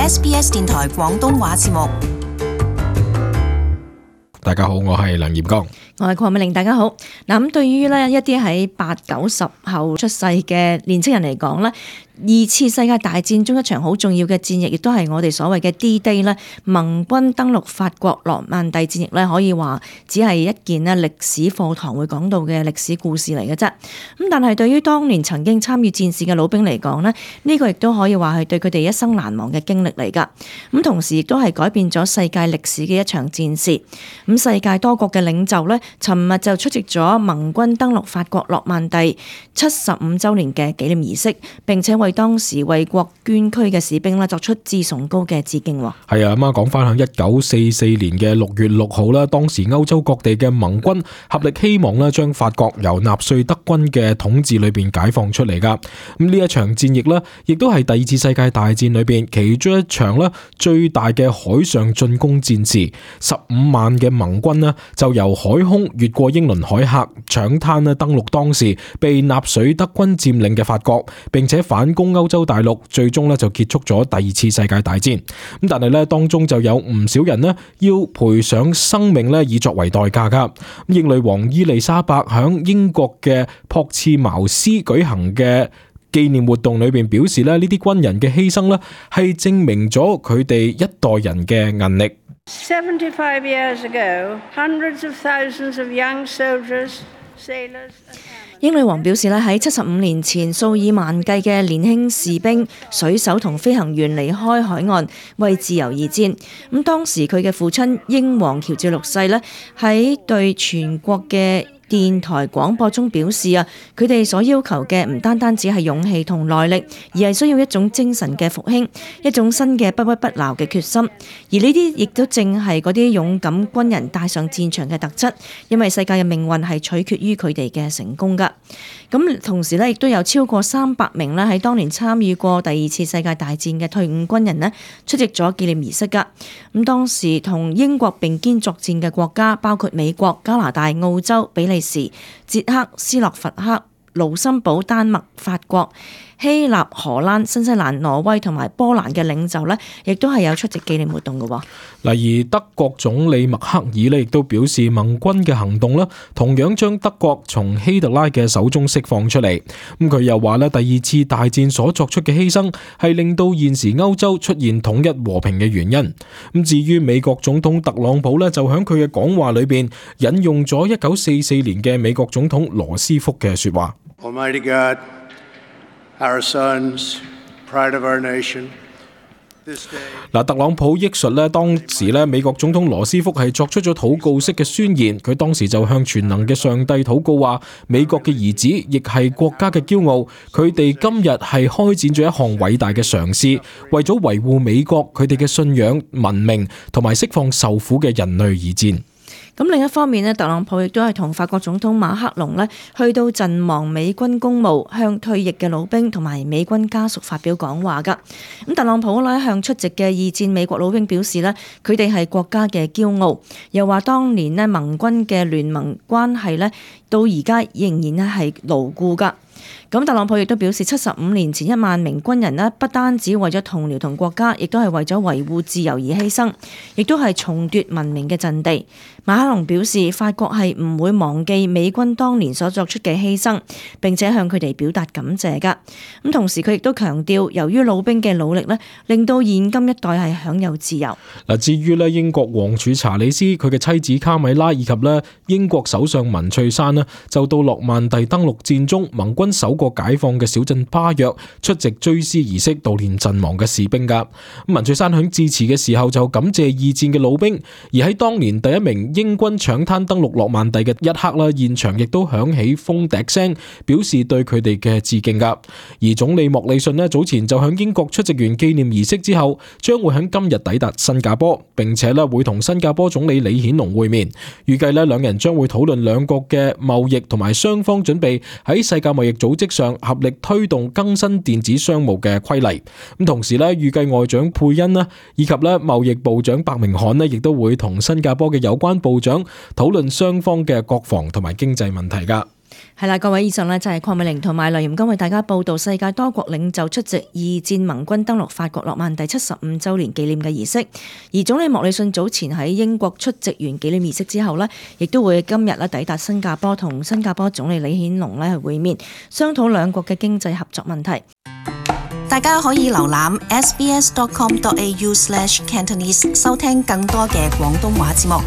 SBS 電台廣東話節目。大家好，我係梁炎剛，我係鄺美玲。大家好。咁對於呢一啲喺8、9、10後出世嘅年青人嚟講呢，二次世界大戰中一場好重要嘅戰役，亦都係我哋所謂嘅 D-Day 咧，盟軍登陸法國諾曼第戰役咧，可以話只係一件咧歷史課堂會講到嘅歷史故事嚟嘅啫。咁但係對於當年曾經參與戰事嘅老兵嚟講呢，呢個亦都可以話係對佢哋一生難忘嘅經歷嚟㗎。咁同時亦都係改變咗世界歷史嘅一場戰事。咁世界多國嘅領袖呢，尋日就出席咗盟軍登陸法國諾曼第75週年嘅紀念儀式，並且為當時為國捐軀嘅士兵作出至崇高嘅致敬。係啊，咁講翻響1944年嘅6月6號啦，當時歐洲各地嘅盟軍合力希望咧將法國由納粹德軍嘅統治裏邊解放出嚟噶。咁呢一場戰役咧，亦都係第二次世界大戰裏邊其中一場咧最大嘅海上進攻戰事。15萬嘅盟軍咧就由海空越過英倫海峽，搶灘咧登陸當時被納粹德軍佔領嘅法國，並且反攻歐洲大陸，最終咧就結束咗第二次世界大戰。咁但係咧當中就有唔少人咧要賠上生命咧以作為代價噶。英女王伊麗莎白響英國嘅朴茨茅斯舉行嘅紀念活動裏邊表示咧，呢啲軍人嘅犧牲咧係證明咗佢哋一代人嘅韌力。75 years ago, hundreds of thousands of young soldiers, sailors, 英女王表示咧，喺75年前，數以萬計嘅年輕士兵、水手同飛行員離開海岸，為自由而戰。咁當時佢嘅父親英皇喬治六世咧，喺對全國嘅電台廣播中表示啊，佢哋所要求嘅唔單單只係勇氣同耐力，而係需要一種精神嘅復興，一種新嘅不屈不撓嘅決心。而呢啲亦都正係嗰啲勇敢軍人帶上戰場嘅特質，因為世界嘅命運係取決於佢哋嘅成功㗎。咁同時咧，亦都有超過300名咧喺當年參與過第二次世界大戰嘅退伍軍人咧出席咗紀念儀式㗎。咁當時同英國並肩作戰嘅國家包括美國、加拿大、澳洲、比利時、捷克、斯洛伐克、盧森堡、丹麥、法國、希臘、荷蘭、新西蘭、挪威同埋波蘭嘅領袖呢，亦都係有出席紀念活動嘅。而德國總理默克爾呢，亦都表示盟軍嘅行動呢，同樣將德國從希特拉嘅手中釋放出嚟。咁佢又話呢，第二次大戰所作出嘅犧牲係令到現時歐洲出現統一和平嘅原因。咁至於美國總統特朗普呢，就喺佢嘅講話裏邊引用咗1944年嘅美國總統羅斯福嘅說話。Almighty God, our sons, pride of our nation. 特朗普憶述咧，當時咧美國總統羅斯福係作出咗禱告式嘅宣言，佢當時就向全能嘅上帝禱告話：美國嘅兒子亦係國家嘅驕傲，佢哋今日係開展咗一項偉大嘅嘗試，為咗維護美國佢哋嘅信仰、文明同埋釋放受苦嘅人類而戰。咁另一方面呢，特朗普亦都係同法國總統馬克龍呢去到陣亡美軍公墓，向退役嘅老兵同埋美軍家屬發表講話㗎。咁特朗普呢向出席嘅二戰美國老兵表示呢，佢哋係國家嘅驕傲，又話當年呢盟軍嘅聯盟關係呢，到而家仍然呢係牢固㗎。咁特朗普亦都表示，75年前1萬名軍人呢，不單止為咗同僚同國家，亦都係為咗維護自由而犧牲，亦都係重奪文明嘅陣地。馬克龍表示，法國係唔會忘記美軍當年所作出嘅犧牲，並且向佢哋表達感謝㗎。咁同時佢亦都強調，由於老兵嘅努力呢，令到現今一代係享有自由。至於呢英國王儲查理斯佢嘅妻子卡米拉以及呢英國首相文翠珊呢，就到諾曼第登陸戰中盟軍首個解放嘅小鎮巴約出席追思儀式，悼念陣亡嘅士兵㗎。文翠珊響致辭嘅時候就感謝二戰嘅老兵，而喺當年第一名英軍搶灘登陸諾曼第嘅一刻啦，現場亦都響起風笛聲，表示對佢哋嘅致敬㗎。而總理莫里遜呢，早前就響英國出席完紀念儀式之後，將會響今日抵達新加坡，並且呢會同新加坡總理李顯龍會面，預計呢兩人將會討論兩國嘅貿易同埋雙方準備喺世界貿易組織上合力推動更新電子商務嘅規例。咁同時咧，預計外長佩恩啦，以及咧貿易部長白明漢咧，亦都會同新加坡嘅有關部長討論雙方嘅國防同埋經濟問題噶。係啦，各位，以上呢就係鄺美玲同埋梁嚴剛為大家報道世界多國領袖出席二戰盟軍登陸法國諾曼第75週年紀念嘅儀式。而總理莫里遜早前喺英國出席完紀念儀式之後呢，亦都會今日呢抵達新加坡，同新加坡總理李顯龍呢去會面，商討兩國嘅經濟合作問題。大家可以瀏覽 sbs.com.au/Cantonese 收聽更多嘅廣東話節目。